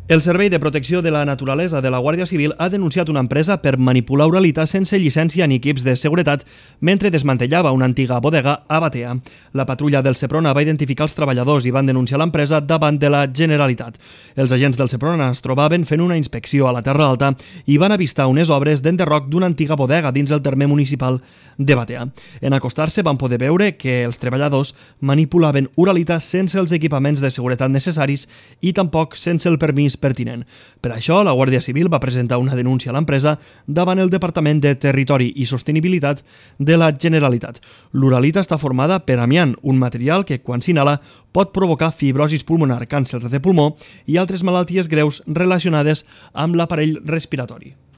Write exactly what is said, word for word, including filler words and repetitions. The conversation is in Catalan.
El Servei de Protecció de la Naturalesa de la Guàrdia Civil ha denunciat una empresa per manipular uralita sense llicència ni equips de seguretat mentre desmantellava una antiga bodega a Batea. La patrulla del Seprona va identificar els treballadors i van denunciar l'empresa davant de la Generalitat. Els agents del Seprona es trobaven fent una inspecció a la Terra Alta i van avistar unes obres d'enderroc d'una antiga bodega dins el terme municipal de Batea. En acostar-se van poder veure que els treballadors manipulaven uralita sense els equipaments de seguretat necessaris i tampoc sense el permís pertinent. Per això, la Guàrdia Civil va presentar una denúncia a l'empresa davant el Departament de Territori i Sostenibilitat de la Generalitat. L'uralita està formada per amiant, un material que, quan s'inhala, pot provocar fibrosis pulmonar, càncer de pulmó i altres malalties greus relacionades amb l'aparell respiratori.